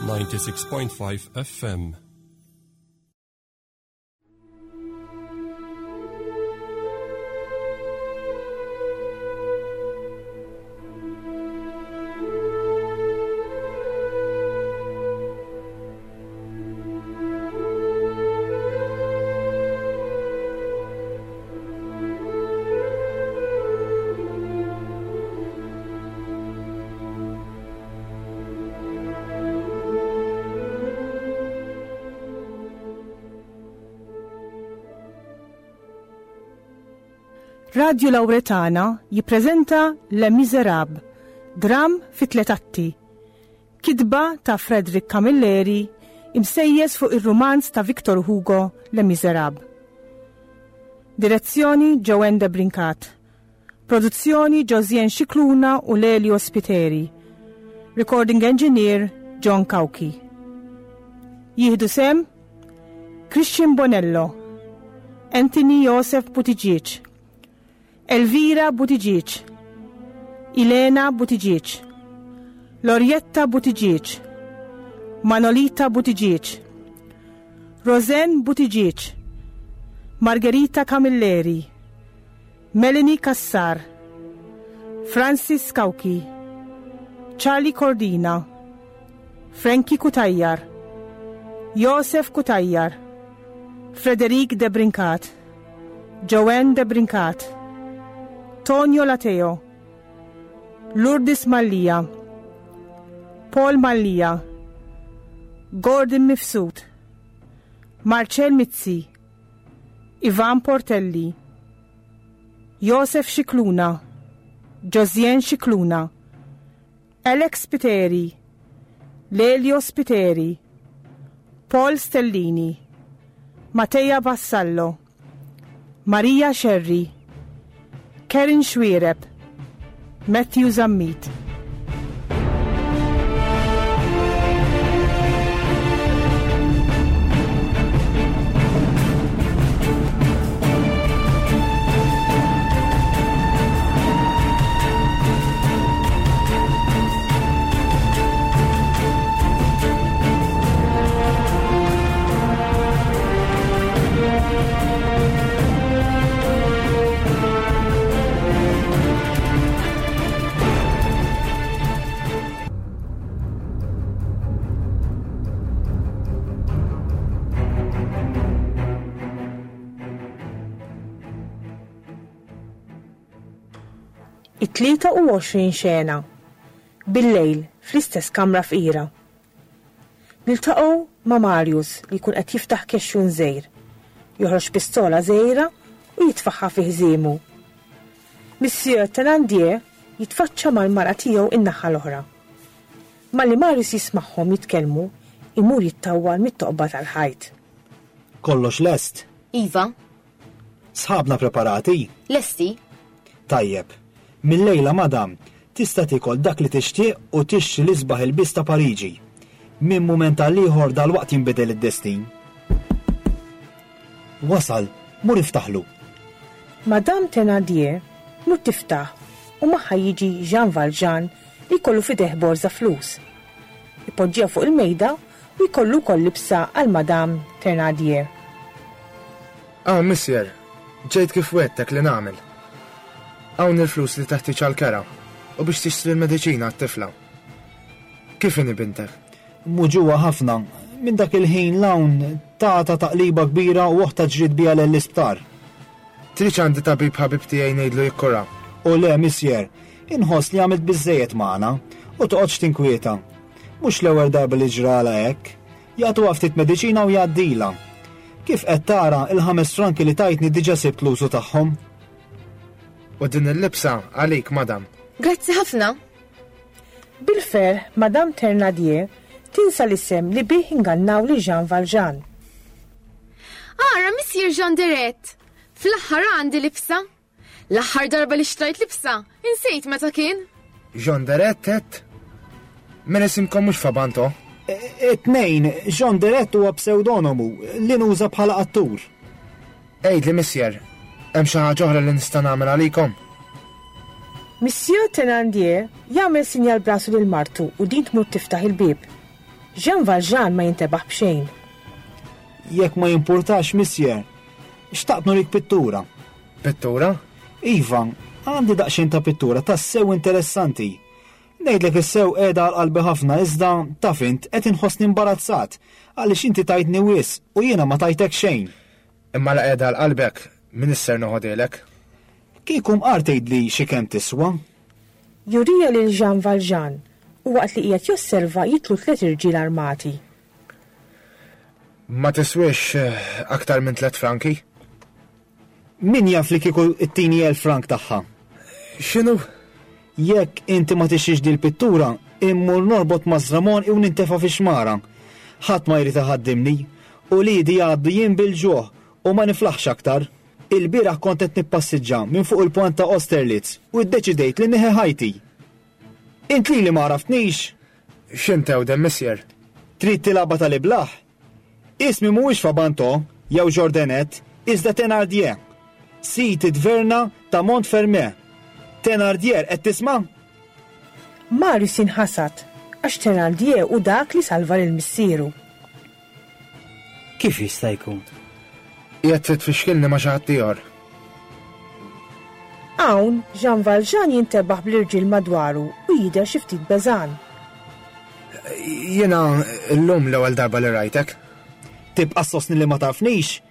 96.5 FM. Radio Lauretana jippreżenta Les Miserables, dram fi tliet atti. Kitba ta' Frederick Camilleri imsejjes fuq ir-rumanz ta' Victor Hugo Les Miserables. Direzzjoni Joanne de Brincat. Produzzjoni Josien Scicluna u Lelio Spiteri. Recording Engineer John Cauchi. Jieħdu sem Christian Bonello, Anthony Joseph Buttigieg, Elvira Buttigieg, Ilena Buttigieg, Lorietta Buttigieg, Manolita Buttigieg, Roseanne Buttigieg, Margherita Camilleri, Melanie Cassar, Francis Cauchi, Charlie Cordina, Frankie Cutajar, Josef Cutajar, Frederic Debrincat, Joanne Debrincat, Tonio Lateo, Lourdes Mallia, Paul Mallia, Gordon Mifsud, Marcel Mizzi, Ivan Portelli, Josef Scicluna, Josien Scicluna, Alex Spiteri, Lelio Spiteri, Paul Stellini, Mattea Vassallo, Maria Scerri, Karen Xuereb, Matthew Zammit. It-23 xena. Billejl, fl-istess kamra fqira. Niltaqgħu ma' Marius li jkun qed jiftaħ kexxun żgħir. Joħroġ pistola żgħira u jitfagħha fi ħżiemu. Monsieur Thénardier jitfaċċa mal-mara tiegħu in-naħa l-oħra. Malli Marius jismagħhom jitkellmu, imur jittawwal mit-toqba tal-ħajt. Kollox lest? Iva. Sħabna preparati? Lesti. Tajjeb. Mil-lejla, madam, tista' tiekol dak li tixtieq u tixtri l-isbaħ ilbies ta' Pariġi. Minn mument għal ieħor dalwaqt jinbidel id-destin. Wasal, mur iftaħlu. Madame Thénardier tmur tiftaħ u magħha jiġi Jean Valjean li jkollu f'idejh borża flus. Ipoġġiha fuq il-mejda u jkollu wkoll libsa għal Madame Thénardier. Hawn, Missier, ġejt kif wegħdtek li nagħmel. Hawn il-flus li teħtieġ għall-kera u biex tixtri l-mediċina għat-tifla. Kif inhi bintek? Muġugħa ħafna. Minn dak il-ħin 'l hawn tatha taqliba kbira u oħtha ġriet biha lejn l-isptar. Tridx għandi tabib ħabib tiegħi ngħidlu jikkurha? O le, Missier, inħoss li għamilt biżżejjed magħna u toqgħodx tinkwieta. Mhux l-ewwel darba li ġralha hekk. Jagħtuha ftit mediċina u jgħaddilha. Kif qed tara, il-ħames franki li tajtni diġà sibt l-użu tagħhom. U din il-libsa għalik, madam. Grazzi ħafna. Bil-ferħ, Madame Thénardier tinsa l-isem li bih ingannaw lil Jean Valjean. Ara, Missier Jean Deret! Fl-aħħar għandi libsa! L-aħħar darba li xtrajt libsa, insejt meta kien. Jean Deret, għedt? Mela isimkom mhux Fabanto? It-tnejn, Jean Deret huwa psewdonomu li nuża bħala attur. Għidli, Missier, hemm xi ħaġa oħra li nista' nagħmel għalikom? Monsieur Thénardier jagħmel sinjal b'rasu lil martu u din tmur tiftaħ il-bieb. Jean Valjean ma jintebaħ b'xejn. Jekk ma jimpurtax, Monsieur, xtaqt nurik pittura. Pittura? Iva, għandi daqsxejn ta' pittura tassew interessanti. Ngħidlek is-sew qiegħda għal qalbi ħafna iżda, taf int, qed inħossni imbarazzat għaliex inti tajtni wisq u jiena ma tajtek xejn. Imma la qiegħda għal qalbek, m'iniex ser noħodhielek. Kieku mqar tgħidli xi kemm tiswa. Juriha lil Jean Valjean u waqt li qiegħed josserva jidħlu tlett irġiel armati. Ma tiswiex aktar minn tlett franki. Min jaf li kieku ttini elf frank tagħha? X'inhu? Jekk inti ma tixtrix dil-pittura, immur norbot mażra m'għonqi u nintefa' fix-xmara. Ħadd ma jrid iħaddimni. Uliedi jgħaddu jiem bil-ġuħ u ma niflaħx aktar. Ilbieraħ kont qed nippassiġġa minn fuq il-pont ta' Austerlitz u ddeċidejt li nieħi ħajti. Int lili ma għaraftnix? X'int ewden, Missier? Trid tilgħabha tal-iblah? Ismi mhuwiex Fabanto jew Jourdanet, iżda Thénardier. Sid it-tverna ta' Montfermeil. Thénardier, qed tisma'? Marius jinħasad għax Thénardier hu dak li salva lil missieru. Kif jista' jkun? Qiegħed trid tfixkilni ma' xi ħadd ieħor. Hawn, Jean Valjean jintebaħ bl-irġiel madwaru u jidher xi ftit beżgħan. Jiena llum l-ewwel darba li rajtek. Tibqa' ssostni li ma tafnix?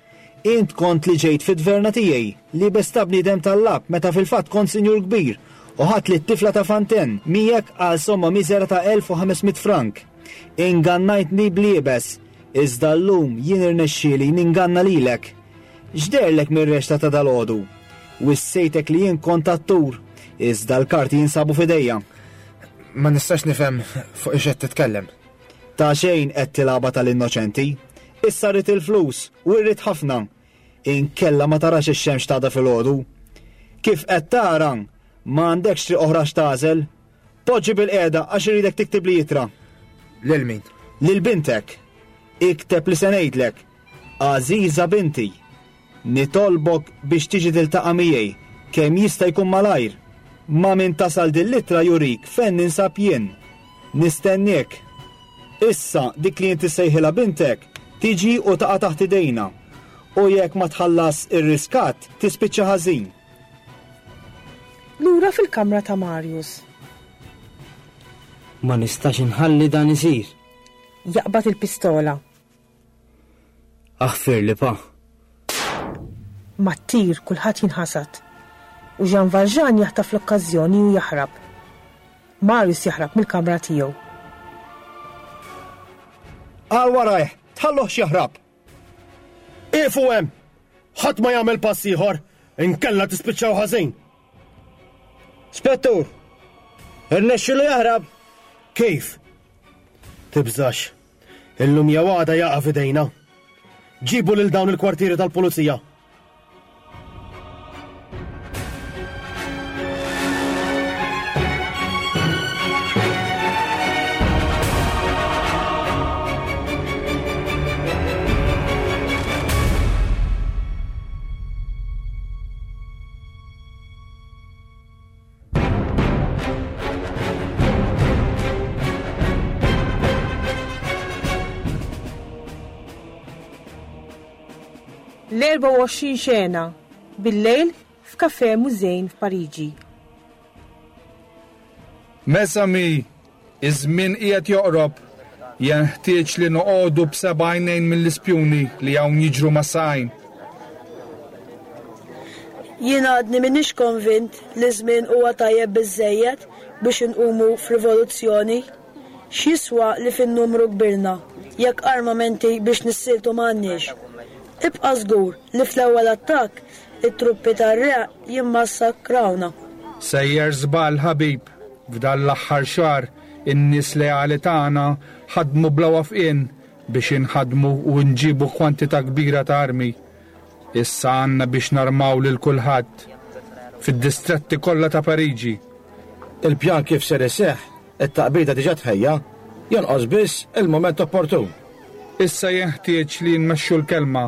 Int kont li ġejt fit-tverna tiegħi, liebes ta' bniedem tal-lagħab meta fil-fatt kont sinjur kbir, u ħadt lit-tifla ta' Fantin miegħek għal somma miżera ta' 1500 frank. Ingannajtni bl-iebes, iżda llum jien irnexxieli ninganna lilek. X'deherlek mir-reċta ta' dalgħodu? Wissejtek li jien kont attur, iżda l-karti jinsabu f'idejja. Ma nistax nifhem fuq ix qed titkellem. Ta' xejn qed tilgħabha tal-innoċenti. Issa rrid il-flus, u rrid ħafna. Inkella ma tarax ix-xemx t'għada filgħodu. Kif qed tara, ma għandekx triq oħra x'tagħżel. Poġġi bilqiegħda għax irridek tiktibli ittra. Lil min? Lil bintek. Ikteb li se ngħidlek. Għażiża binti, nitolbok biex tiġi tiltaqa' miegħi kemm jista' jkun malajr. Ma' min tasal din l-ittra jurik fejn ninsab jien. Nistenniek. Issa dik li inti ssejħilha bintek tiġi u taqa' taħt idejna. U jekk ma tħallas ir-riskatt tispiċċa ħażin. Lura fil-kamra ta' Marius. Ma nistax inħalli dan isir. Jaqbad il-pistola. Aħfirli, pa. Mat-tir kulħadd jinħasad. U Jean Valjean jaħtaf l-okkażjoni u jaħrab. Marius jaħrab mill-kamra tiegħu. Għal warajh! Tħalluhx jaħrab! Ieqfu hemm! Ħadd ma jagħmel pass ieħor, inkella tispiċċaw ħażin! Spettur! Irnexxielu jaħrab! Kif? Tibżax. Illum jew għada jaqa' f'idejna. Ġibu lil dawn il-kwartieri tal-pulizija. L-24 xena, bil-lejl f'Café Musein f'Pariġi. Mes amis, iż-żmien qiegħed joqrob. Jenħtieġ li noqogħdu b'seba' għajnejn mill-ispjuni li hawn jiġru ma' saqajn. Jien għadni m'iniex konvint li ż-żmien huwa tajjeb biżżejjed biex inqumu f'rivoluzzjoni. X'jiswa li fin-numru kbirna jekk armamenti biex nissieltu m'għandniex? Ibqa' żgur li fl-ewwel attakk it-truppi tar-re jimmassakrawna. Sejjer żball ħabib, f'dan l-aħħar xahar in-nies leali tagħna ħadmu bla wafqien biex inħaddmu u nġibu kwantità kbira ta' armi. Issa għandna biex narmaw lil kulħadd fid-distretti kollha ta' Pariġi. Il-pjan kif ser iseħħ, it-taqbida diġà tħejja, jonqos biss il-mument opportun. Issa jenħtieġ li nmexxu l-kelma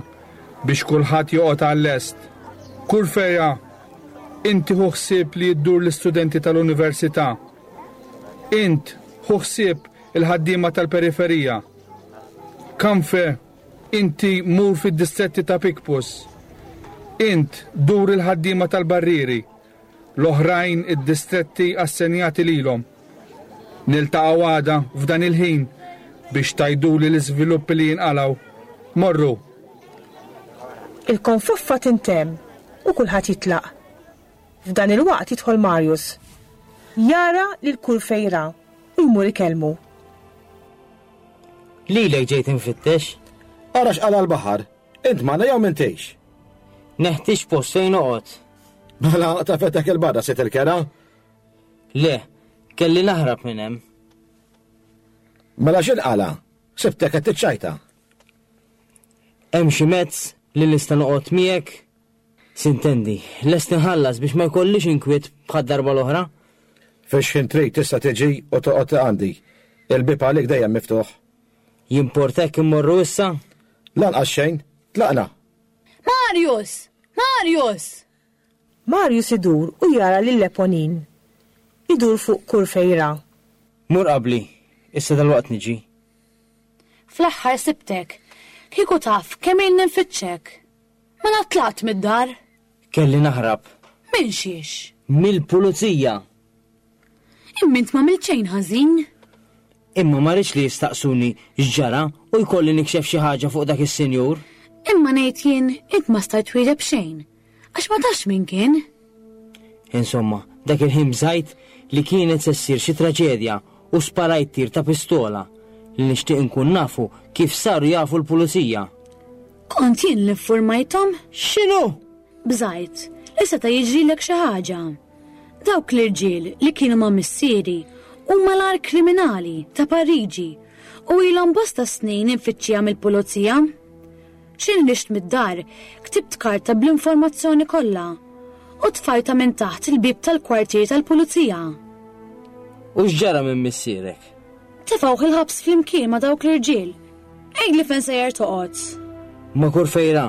biex kulħadd joqgħod għal-lest. Kurfeja, inti ħu ħsieb li ddur l-istudenti tal-università. Int ħu ħsieb. il-ħaddiema tal-periferija. Kamfe, inti mur fid-distretti ta' Picpus. Int dur il-ħaddiema tal-barrieri. L-oħrajn id-distretti assenjati lilhom. Niltaqgħu għada f'dan il-ħin biex tgħiduli l-iżviluppi li jinqalgħu. Morru! Il-konfoffa tintemm u kulħadd jitlaq. F'dan il-waqt jidħol Marius. Jara lil Courfeyrac u jmur ikellmu. Lilek ġejt infittex. Ara x'qala l-baħar. Int magħna jew m'intix? Neħtieġ post fejn noqgħod. Mela tafetek il-barra sit il-kera? Le, kelli naħrab minn hemm. Mela x'inqala? Sibtek qed tiċċajta. Hemm xi mezz li nista' noqgħod miegħek? Sintendi, lest inħallas biex ma jkollix inkwiet bħad-darba l-oħra. Fix-xħin trid tista' tiġi u toqgħod għandi. Il-bieb għalik dejjem miftuħ. Jimportek immorru issa? Lanqas xejn. Tlaqna! Marius! Marius! Marius idur u jara lil Eponine. Idur fuq Courfeyrac. Mur qabli, issa dalwaqt niġi. Fl-aħħar sibtek. Kieku taf kemm ilni nfittxek. Mela tlaqt mid-dar? Kelli naħrab. Minn xiex? Mill-pulizija! Imma int m'għamilt xejn ħażin. Imma ma rridx li jistaqsuni x'ġara u jkolli nikxef xi ħaġa fuq dak is-sinjur. Imma ngħid jien int ma stajt twieġeb xejn, għax ma tafx min kien. Insomma, dak il-ħin bżajt li kienet se ssir xi traġedja u sparajt tir ta' pistola li nixtieq inkun nafu kif saru jafu l-pulizija. Kont jien li ffurmajthom? X'inhu? Bżajt li seta' jiġrilek xi ħaġa. Dawk l-irġiel li kienu ma' missieri huma l-agħar kriminali ta' Pariġi u ilhom bosta snin imfittxija mill-pulizija. Xi nrixt mid-dar, ktibt karta bl-informazzjoni kollha u tfajtha minn taħt il-bieb tal-kwartier tal-pulizija. U x'ġara minn missierek? Tefgħuh il-ħabs flimkien ma' dawk l-irġiel. Għidli fejn sejjer toqgħod. Ma' Kurfejra.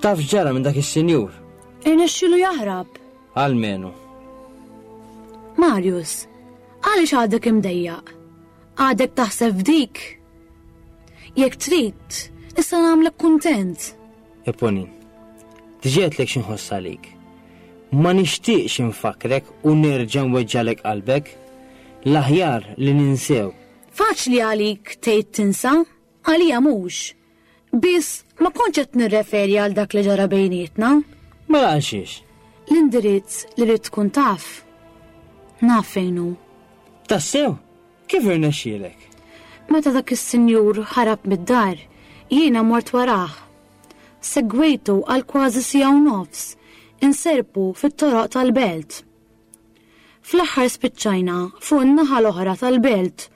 Taf x'ġara minn dak is-sinjur? Irnexxielu jaħrab. Almenu. Marius, għaliex għadek imdejjaq? Għadek taħseb f'dik? Jekk trid, nista' nagħmlek kuntent. Eponin, diġà għedtlek x'inħoss għalik. Ma nixtieqx infakrek u nerġa' nweġġalek qalbek. L-aħjar li ninsew. Faċli għalik tgħid tinsa, għalija mhux. Biss ma kontx qed nirreferi għal dak li ġara bejnietna. Mela għal xiex? L-indirizz li rrid tkun taf. Naf fejn hu. Tassew? Kif irnexxielek? Meta dak is-sinjur ħarab mid-dar, jiena mort warah. Segwejtu għal kważi siegħa u nofs, inserpu fit-toroq tal-belt. Fl-aħħar spiċċajna fuq in-naħa l-oħra tal-belt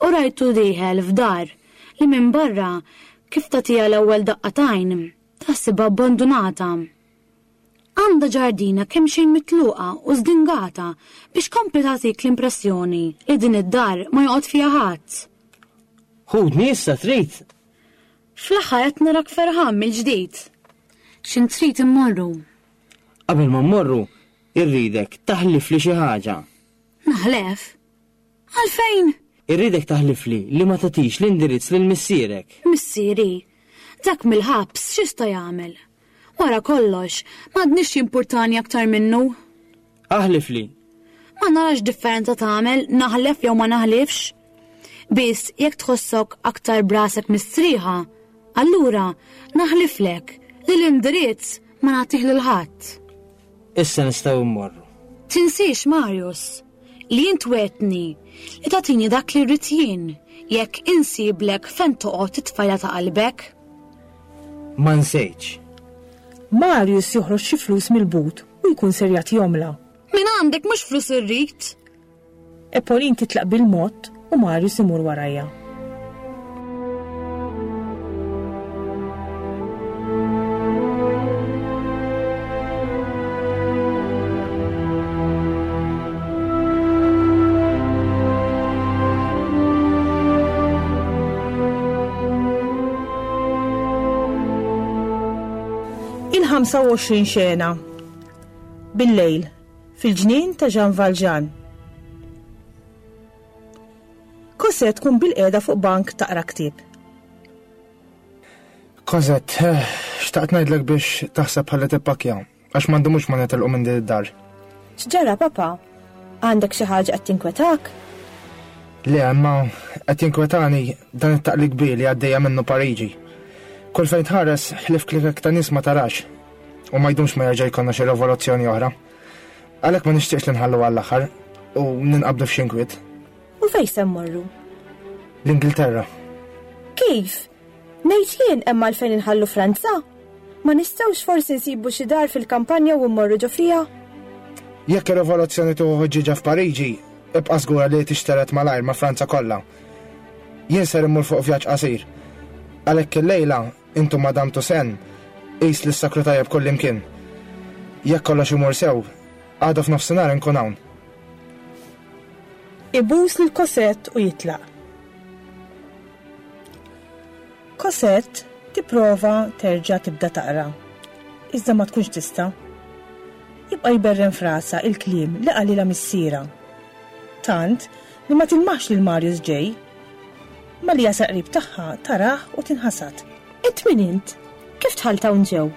u rajtu dieħel f'dar li minn barra kif tagħtiha l-ewwel daqqa t'għajn taħsibha abbandunata. Għandha ġardina kemxejn mitluqa u żdingata biex kompli tagħtik l-impressjoni li din id-dar ma joqgħod fiha ħadd. Ħudni issa trid? Fl-aħħar qed narak ferħan mill-ġdid. X'int trid immorru? Qabel ma mmorru, Irridek taħlifli xi ħaġa. Naħlef? Għalfejn? Irridek taħlifli li ma tagħtix l-indirizz lil missierek. Missieri? Dak mill-ħabs x'jista' jagħmel? Wara kollox, m'għadnix jimpurtani aktar minnu. Aħlifli. Ma narax differenza tagħmel naħlef jew ma naħlifx. Biss jekk tħossok aktar brasek mistrieħa, allura naħliflek li l-indirizz ma nagħtih lil ħadd. Issa nistgħu mmorru. Tinsiex, Marius, li int wegħdtni li tagħtini dak li rrid jien jekk insiblek fejn toqgħod it-tfajla ta' qalbek. Ma nsejtx. Marius joħroġ xi flus mill-but u jkun ser jagħtihomlha. Minn għandek mhux flus irrid! Epoline titlaq bil-mod u Marius imur warajha. Il-25 xena. Bil-lejl, Fil-ġnien ta' Jean Valjean. Cosette tkun bilqiegħda fuq bank taqra ktieb. Cosette, eh, xtaqt ngħidlek biex taħseb ħalli tippakkja, għax ma ndumux ma nitilqu minn din id-dar. X'ġara, papa? Għandek xi ħaġa qed tinkwetak? Le, imma qed jinkwetani dan it-taqli kbir li għaddejja minnu Pariġi. Kull fejn tħares ħlief klikek ta' nies ma tarax. U ma jdumx ma jerġa' jkollna xi rivoluzzjoni oħra. Għalhekk ma nixtieqx li nħallu għall-aħħar u ninqabdu f'xi nkwiet. U fejn se mmorru? L-Ingilterra. Kif? Ngħid jien hemm għalfejn inħallu Franza? Ma nistgħux forsi nsibu xi dar fil-kampanja u mmorru ġo fiha? Jekk ir-rivoluzzjoni tieħu ħuġġieġa f'Pariġi, ibqa' żgura li tixtered malajr ma' Franza kollha. Jien ser immur fuq vjaġġ qasir. Għalhekk illejla, int u Madame Toussaint, qis li ssakru tajjeb kullimkien. Jekk kollox imur sew, għada f'nofsinhar inkun hawn. Ibus lil Cosette u jitlaq. Cosette tipprova terġa' tibda taqra, iżda ma tkunx tista'. Jibqa' jberren f'rasha il-kliem li qalilha missierha. Tant li ma tilmaħx lil Marius ġej. Malli jasal qrib tagħha tarah u tinħasad. Int min int? Kif dħalt hawn ġew?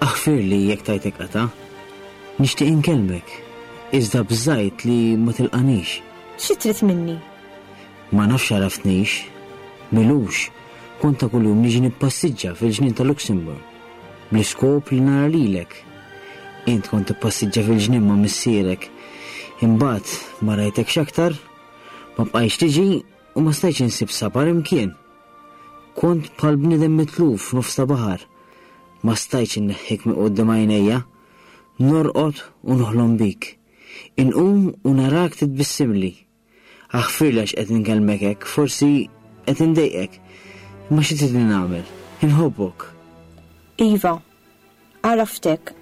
Aħfirli jekk tajtek qatgħa. Nixtieq inkellmek, iżda bżajt li ma tilqanix. Xi trid minni? Ma nafx għaraftnix. M'ilux, kont ta' kuljum niġi nippassiġġa fil-ġnien ta' Luxembourg, bl-iskop li nara lilek. Int kont tippassiġġa fil-ġnien ma' missierek. Imbagħad ma rajtekx aktar, ma bqajtx tiġi u ma stajtx insib sabar imkien. Kont bħal bniedem mitluf f'nofs ta' baħar. Ma stajtx inneħħik minn quddiem għajnejja. Norqod u noħlom bik. Inqum u narak titbissimli. Aħfirli għax qed inkellmek hekk, forsi qed indejqek. Imma xi tridni nagħmel? Inħobbok. Iva, għaraftek.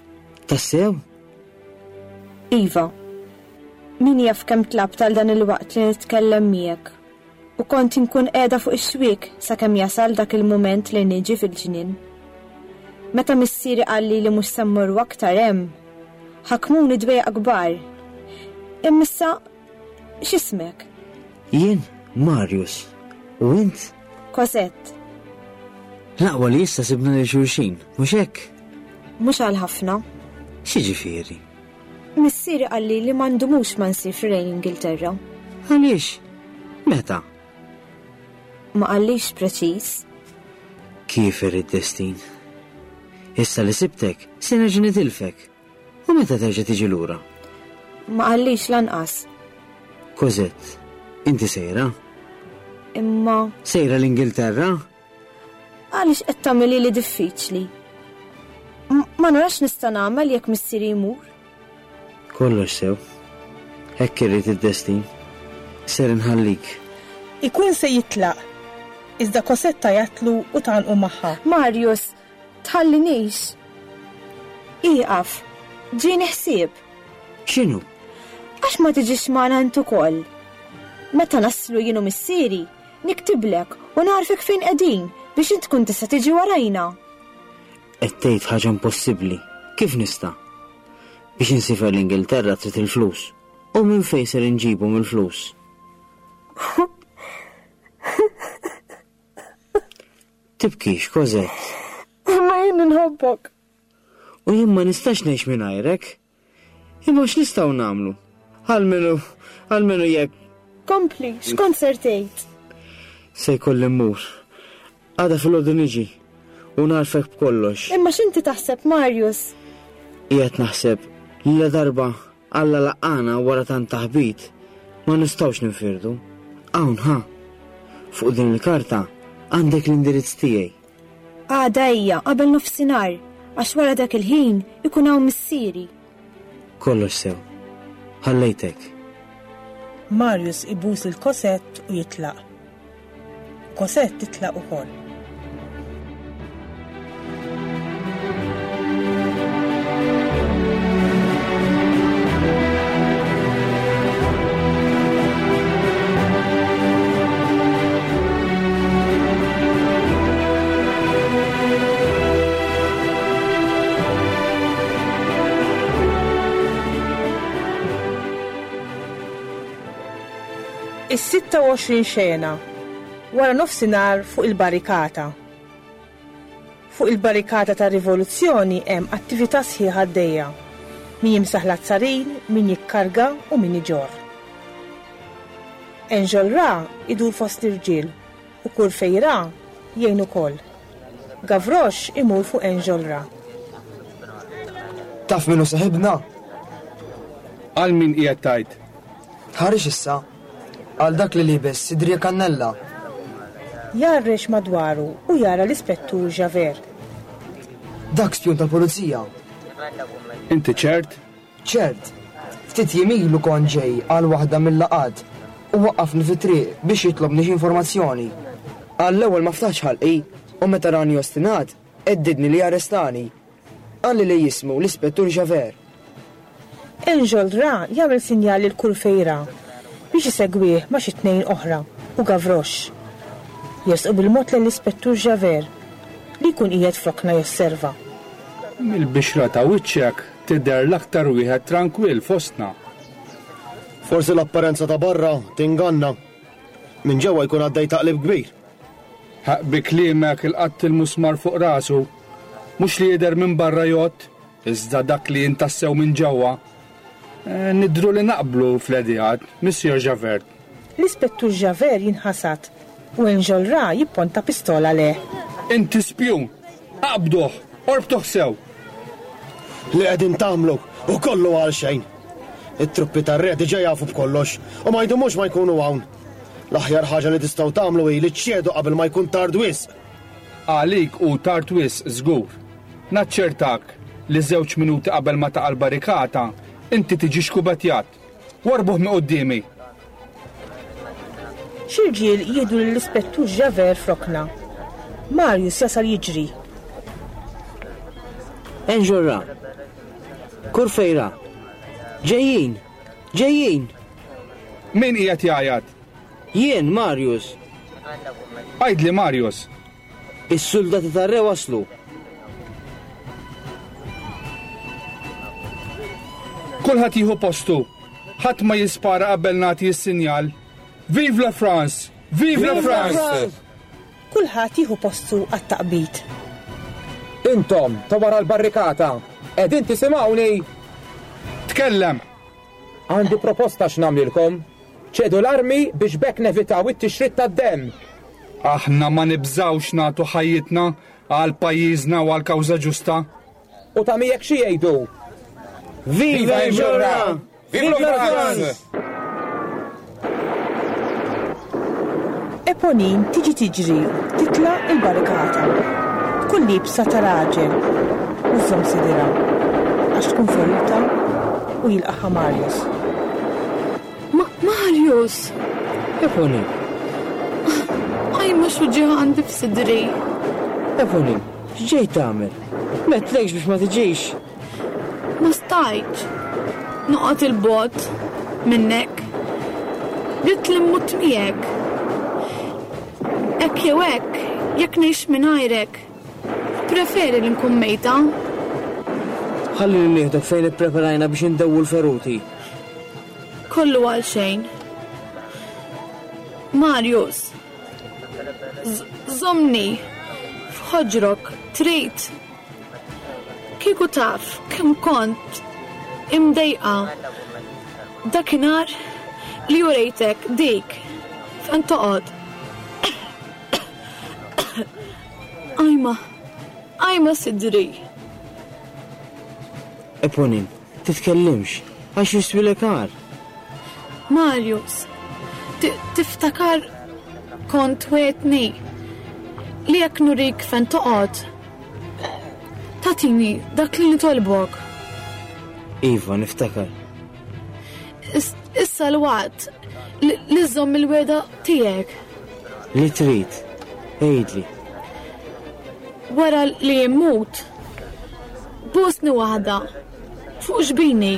Tassew? Iva. Min jaf kemm tlabt għal dan il-waqt li nitkellem miegħek. U kont inkun qiegħda fuq ix-xwiek sakemm jasal dak il-mument li niġi fil-ġnien. Meta missieri qalli li mhux se mmorru aktar hemm, ħakmuni dwejjaq kbar. Imma issa X'ismek? Jien Marius. U int? Cosette. L-aqwa li issa sibna lil xulxin, mhux hekk? Mhux għal ħafna. X'jiġifieri? Missieri qalli li ma ndumux ma nsifru lejn l-Ingilterra. Għaliex? Meta? Ma qallix preċiż. Kif irid destin? Issa li sibtek, se nerġa' nitilfek. U meta terġa' tiġi lura? Ma qallix lanqas. Cosette, inti sejra? Imma. Sejra l-Ingilterra? Għaliex qed tagħmilhi li diffiċli? Ma narax nista' nagħmel jekk missieri jmur. Kollox sew. Hekk irid id-destin. Ser inħallik. Ikun se jitlaq. Iżda Cosette tgħajjatlu u tgħannqu magħha. Marius, Tħallinix. Ieqaf. Ġieni ħsieb. X'inhu? Għax ma tiġix magħna int ukoll? Meta naslu jien u missieri, niktiblek u ngħarrfek fejn qegħdin biex int tkun tista' tiġi warajna. Qed tgħid ħaġa impossibbli. Kif nista'? Biex insifer l-Ingilterra trid il-flus. U minn fejn ser inġibhom il-flus? Tibkix, Cosette. Imma jien inħobbok. U jien ma nistax ngħix mingħajrek. Imma x'nistgħu nagħmlu? Almenu, almenu jekk. Kompli, x'kont ser tgħid? Se jkolli mmur. Għada filgħodu niġi u ngħarfek b'kollox. Imma x'inti taħseb, Marius? Qiegħed naħseb li la darba Alla laqqagħna wara tant taħbit, ma nistgħux ninfirdu. Hawn, ħa. Fuq din il-karta għandek l-indirizz tiegħi. Għada ejja qabel nofsinhar, għax wara dak il-ħin ikun hawn missieri. Kollox sew. Ħallejtek. Marius ibus lil Cosette u jitlaq. Cosette titlaq ukoll. Is-26 xena, wara nofsinhar fuq il-barrikata. Fuq il-barrikata tar-rivoluzzjoni hemm attività sħiħa għaddejja. Min jimsaħ l-azzarin, min jikkarga u min iġorr. Enjolras idur fost l-irġiel u Courfeyrac jgħin ukoll. Gavroche imur fuq Enjolras. Taf min hu seħibna? Għal min qiegħed tgħid? Tħarrix issa. Għal dak li liebes sidrija kannella. Jgħarrex madwaru u jara l-Ispettur Javert. Dak spjun tal-pulizija. Inti ċert? Ċert. Ftit jiem ilu kont ġej għal waħda mil-laqgħat u waqqafni fit-triq biex jitlobni xi informazzjoni. Għall-ewwel ma ftaħtx ħalqi u meta rani ostinat, heddidni li jarrestani. Qalli li jismu l-Ispettur Javert. Enjolras jagħmel sinjal lil Courfeyrac biex isegwih ma' xi tnejn oħra u Gavroche. Jersqu bil-mod lejn l-Ispettur Javert li jkun qiegħed f'rokna josserva. Mill-bixra ta' wiċċek tidher l-aktar wieħed trankwill fostna. Forsi l-apparenza ta' barra tinganna. Minn ġewwa jkun għaddej taqlib kbir. Ħaqq bi kliemek ilqatt il-musmar fuq rasu. Mhux li jidher minn barra jgħodd, iżda dak li int tassew minn ġewwa. Nidhru li naqblu fl-ideat, Monsieur Javert. L-Ispettur Javert jinħasad u Enjolras jipponta pistola lejh. Inti spjun! Aqbduh! Orbtuh sew! Li qegħdin tagħmlu hu kollu għalxejn. It-truppi tar-re diġà jafu b'kollox u ma jdumux ma jkunu hawn. L-aħjar ħaġa li tistgħu tagħmlu hi li ċċedu qabel ma jkun tard wisq. Għalik hu tard wisq żgur. Naċċertak li żewġ minuti qabel ma taqa' l-barrikata, inti tiġi xkubettjat. Warrbuh minn quddiemi! Xi rġiel jieħdu lill-Ispettur Javert f'rokna. Marius jasal jiġri. Enjolras! Courfeyrac! Ġejjin! Ġejjin! Min qiegħed jgħajjat? Jien, Marius. Għidli, Marius. Is-suldati tar-re waslu. Kulħadd jieħu postu. Ħadd ma jispara qabel nagħti s-sinjal. Vive la France! Vive la France! Kulħadd jieħu postu għat-taqbid. Intom, ta' wara l-barrikata, qegħdin tisimgħuni? Tkellem! Għandi proposta x'nagħmlilkom. Ċedu l-armi biex b'hekk nevitaw it-tixrid tad-demm. Aħna ma nibżgħux nagħtu ħajjitna għal pajjiżna u għall-kawża ġusta. U ta' miegħek xi jgħidu? Viva Enjolras! Vive la France! Eponine tiġi tiġri titla' l-barrikata. Tkun liebsa ta' raġel u żżomm sidirha għax tkun feruta u jilqagħha Marius. Ma Marius! Eponine! Ajma x'uġigħ għandi f'sidri. Eponine, x'ġejt tagħmel? M'għedtlekx biex ma tiġix? Ma stajtx noqgħod 'il bogħod minnek. Ridt li mmut miegħek. Hekk jew hekk, jekk ngħix mingħajrek, nippreferi li nkun mejta. Ħallini nieħdok fejn ippreparajna biex indewwu l-feruti. Kollu għal xejn. Marius, żommni f'ħoġrok, trid? Kieku taf kemm kont imdejqa dakinhar li urejtek dik fejn toqgħod. Ajma, ajma sidri. Eponin, titkellimx, għax jiswilek agħar. Marius, tiftakar kont wegħedtni li jekk nurik fejn toqgħod, tagħtini dak li nitolbok. Iva, niftakar. Issa l-waqt li żżomm il-wegħda tiegħek. Li trid, għidli. Wara li jimmut, busni waħda fuq xbini.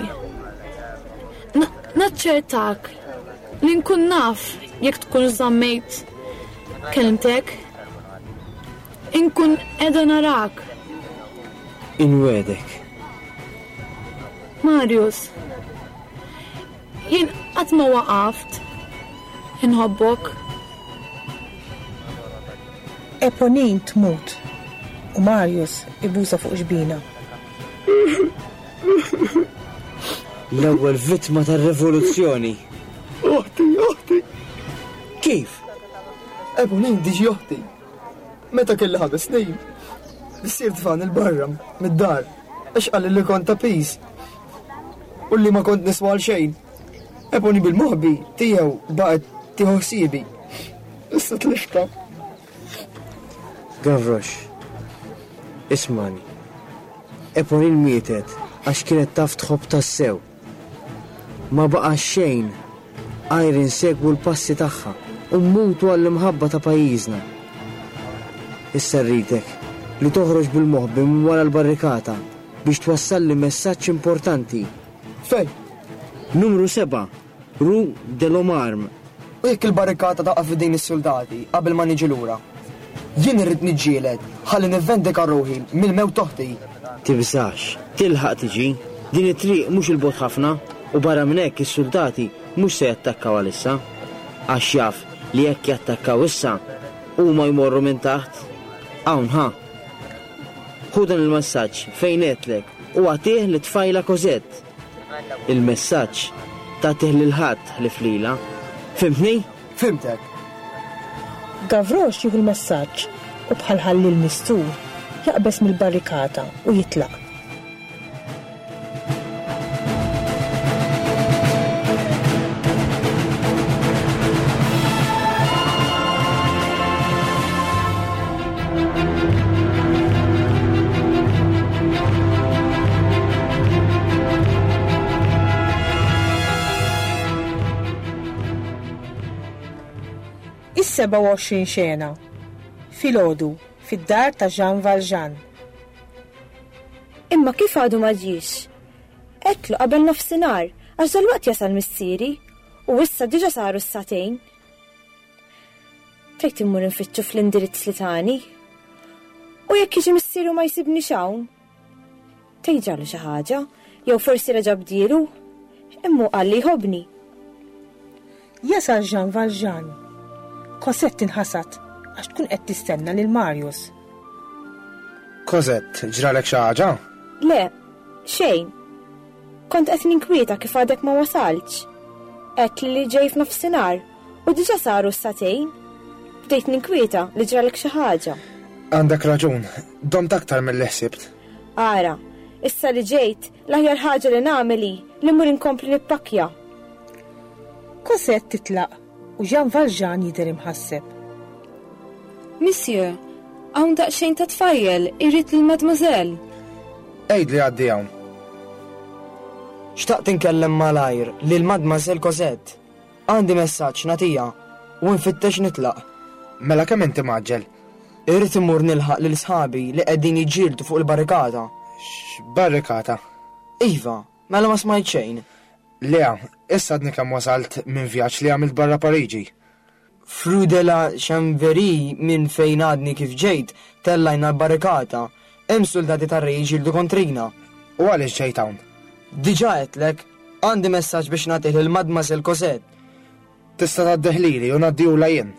Naċċertak li nkun naf jekk tkun żammejt kelmtek. Inkun qiegħda narak. Inwegħdek. Marius, jien qatt ma waqaft. Inħobbok. Eponine tmut u Marius ibusha fuq xbinha. L-ewwel vittma tar-rivoluzzjoni. Oħti, oħti! Kif? Eponine diġi oħti. Meta kelli ħames snin, missier tfani 'l barra mid-dar għax qalli li kont ta' piż u li ma kont niswa għal xejn. Ebony bil-moħbi tiegħu baqgħet tieħu ħsiebi. Issa tliftha. Gavroche, ismagħni. Eponine mietet għax kienet taf tħobb tassew. Ma baqa' xejn għajr insegwu l-passi tagħha u mmutu għall-imħabba ta' pajjiżna. Issa rridek li toħroġ bil-moħbi minn wara l-barrikata biex twassalli messaġġ importanti. Fejn? Numru 7, Rue de l'Homme-Arme. U jekk il-barrikata taqa' f'idejn is-suldati qabel ma niġi lura? Jien irrid niġġieled ħalli nivvendika ruħi mill-mewt t'oħti. Tibżax, tilħaq tiġi. Din it-triq mhux 'il bogħod ħafna u barra minn hekk is-suldati mhux se jattakkaw għalissa. Għax jaf li jekk jattakkaw issa, huma jmorru minn taħt. Hawn, ħa. Ħu dan il-messaġġ fejn għedtlek u agħtih lit-tfajla Cosette. Il-messaġġ tagħtih lil ħadd ħlief lilha. Fhimtni? Fhimtek. Gavroche jieħu l-messaġġ u bħal ħalliel mistur jaqbeż mill-barrikata u jitlaq. Is-27 xena. Filgħodu, fid-dar ta' Jean Valjean. Imma kif għadu ma ġiex? Għedtlu qabel nofsinhar għax dalwaqt jasal missieri u issa diġa saru s-sagħtejn. Tgħid immur infittxu fl-indirizz li tani? U jekk jiġi missieri u ma jsibnix hawn? Tgħid ġralu xi ħaġa, jew forsi reġa' bdielu? Imma hu qal li jħobbni. Jasal Jean Valjean. Cosette tinħasad għax tkun qed tistenna lil Marius. Cosette, ġralek xi ħaġa? Le, xejn. Kont qed ninkwieta kif għadek ma wasaltx. Għedtli li ġej f'nofsinhar u diġà saru s-sagħtejn. Bdejt ninkwieta li ġralek xi ħaġa. Għandek raġun, domt aktar milli ħsibt. Ara, issa li ġejt, l-aħjar ħaġa li nagħmel hi li mmur inkompli nippakkja. Cosette titlaq u Jean Valjean jidher imħasseb. Monsieur, hawn daqsxejn ta' tfajjel irid lil mademoiselle. Għidli għaddi hawn. Xtaqt inkellem malajr lil Mademoiselle Cosette. Għandi messaġġ nagħtiha u nfittex nitlaq. Mela kemm inti mgħaġġel? Irrid immur nilħaq lil sħabi li qegħdin jiġġieldu fuq il-barrikata. X'barrikata? Iva, mela ma smajt xejn. Le, issa għadni kemm wasalt minn vjaġġ li għamilt barra Pariġi. F'Rue de la Chanvrerie minn fejn għadni kif ġejt, tellajna l-barrikata. Hemm suldati tar-re jiġġieldu kontrina. U għaliex ġejt hawn? Diġà għedtlek, għandi messaġġ biex nagħtih lil Mademoiselle Cosette. Tista' tgħaddih lili u ngħaddihulha jien.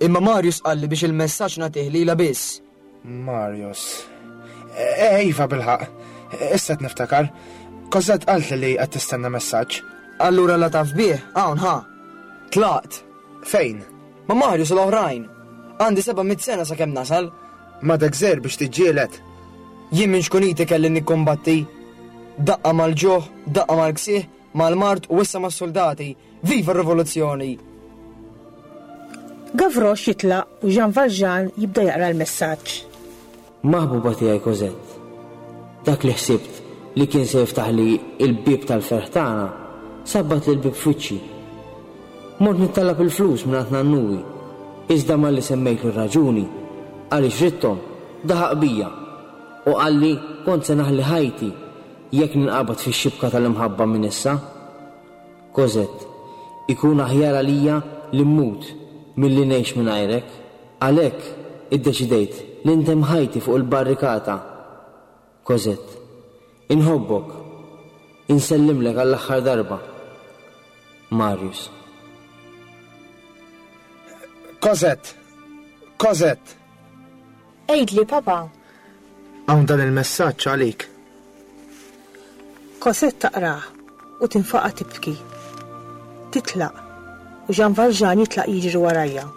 Imma Marius qalli biex il-messaġġ nagħtih lilha biss. Marius. Eh, iva bilħaqq. Issa qed niftakar. Cosette qaltli li qed tistenna messaġġ. Allura la taf bih, hawn ħa. Tlaqt. Fejn? Ma' Marius u l-oħrajn. Għandi 700 sena sakemm nasal. M'għadek żgħir biex tiġġieled. Jien minn xkuniti kelli nikkumbatti. Daqqa mal-ġuħ, daqqa mal-ksieħ, mal-mard u issa mas-suldati. Viva r-rivoluzzjoni! Gavroche jitlaq u Jean Valjean jibda jaqra l-messaġġ. Maħbuba tiegħi Cosette, dak li ħsibt li kien se jiftaħli l-bieb tal-ferħ tagħna, sabbatli l-bieb f'wiċċi. Mort nittallab il-flus mingħand nannuwi, iżda malli semmejtlu r-raġuni għaliex ridthom, daħaq bija u qalli kont se naħli ħajti jekk ninqabad fix-xibka tal-imħabba minn issa. Cosette, ikun aħjar għalija li mmut milli ngħix mingħajrek. Għalhekk iddeċidejt li ntemm ħajti fuq il-barrikata. Cosette, inħobbok. Insellimlek għall-aħħar darba. Marius. Cosette! Cosette! Għidli, papa. Hawn dan il-messaġġ għalik. Cosette taqrah u tinfaqa' tibki. Titlaq u Jean Valjean jitlaq jiġri warajha.